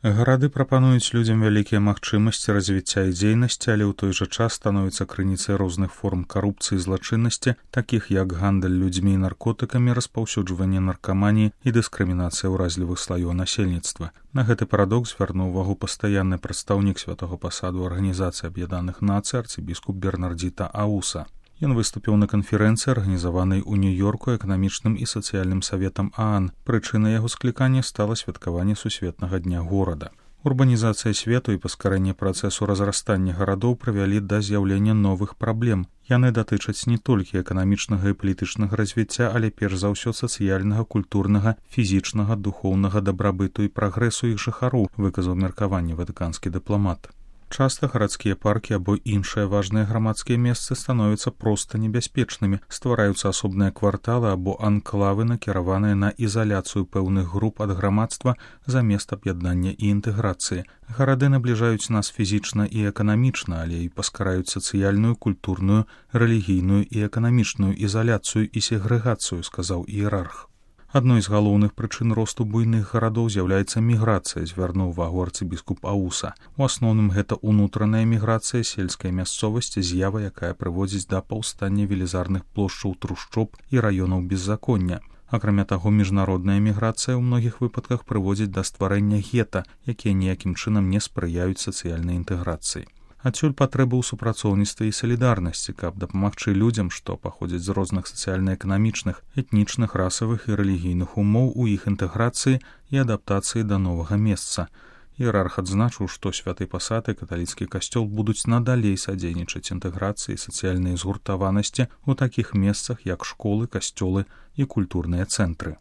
Гарады прапануюць людзям вялікія магчымасці развіцця і дзейнасці, але ў той жа час становяцца крыніцай розных форм карупцыі і злачыннасці, такіх як гандаль людзьмі і наркотыкамі, распаўсюджванне наркаманіі і дыскрымінацыя ўразлівых слаёў насельніцтва. На гэты парадокс звярнуў увагу пастаянны прадстаўнік святога пасаду Арганізацыі Аб'яднаных Нацый арцыбіскуп Бернардзіта Ауса. Ён выступіў на канферэнцыі, арганізаванай у Нью-Йорку эканамічным і сацыяльным саветам ААН. Прычынай яго склікання стала святкаванне сусветнага дня горада. Урбанізацыя свету і паскарэнне працэсу разрастання гарадоў прывялі да з'яўлення новых праблем. Яны датычаць не толькі эканамічнага і палітычнага развіцця, але перш за ўсё сацыяльнага, культурнага, фізічнага, духоўнага дабрабыту і прагрэсу іх жыхароў, выказаў меркаванне ватыканскі дыпламат. Часта гарадскія паркі або іншыя важныя грамадскія месцы становяцца проста небяспечнымі, ствараюцца асобныя кварталы або анклавы, накіраваныя на ізаляцыю пэўных груп ад грамадства замест аб'яднання і інтэграцыі. Гарады набліжаюць нас фізічна і эканамічна, але і паскараюць сацыяльную, культурную, рэлігійную і эканамічную ізаляцыю і сегрэгацыю, сказаў іерарх. Адной з галоўных прычын росту буйных гарадоў з'яўляецца міграцыя, звярнуў увагу арцыбіскуп Ауса. У асноўным гэта ўнутраная міграцыя, сельская мясцовасць, з'ява, якая прыводзіць да паўстання велізарных плошчаў трушчоб і раёнаў беззаконня. Акрамя таго, міжнародная міграцыя ў многіх выпадках прыводзіць да стварэння гета, якія ніякім чынам не спрыяюць сацыяльнай інтэграцыі. Адсюль патрэба ў супрацоўніцтве і салідарнасці, каб дапамагчы людзям, што паходзяць з розных сацыяльна-эканамічных, этнічных, расавых і рэлігійных умоў у іх інтэграцыі і адаптацыі да новага месца. Іерарх адзначыў, што святы пасад і каталіцкі касцёл будуць надалей садзейнічаць інтэграцыі і сацыяльнай згуртаванасці ў такіх месцах, як школы, касцёлы і культурныя цэнтры.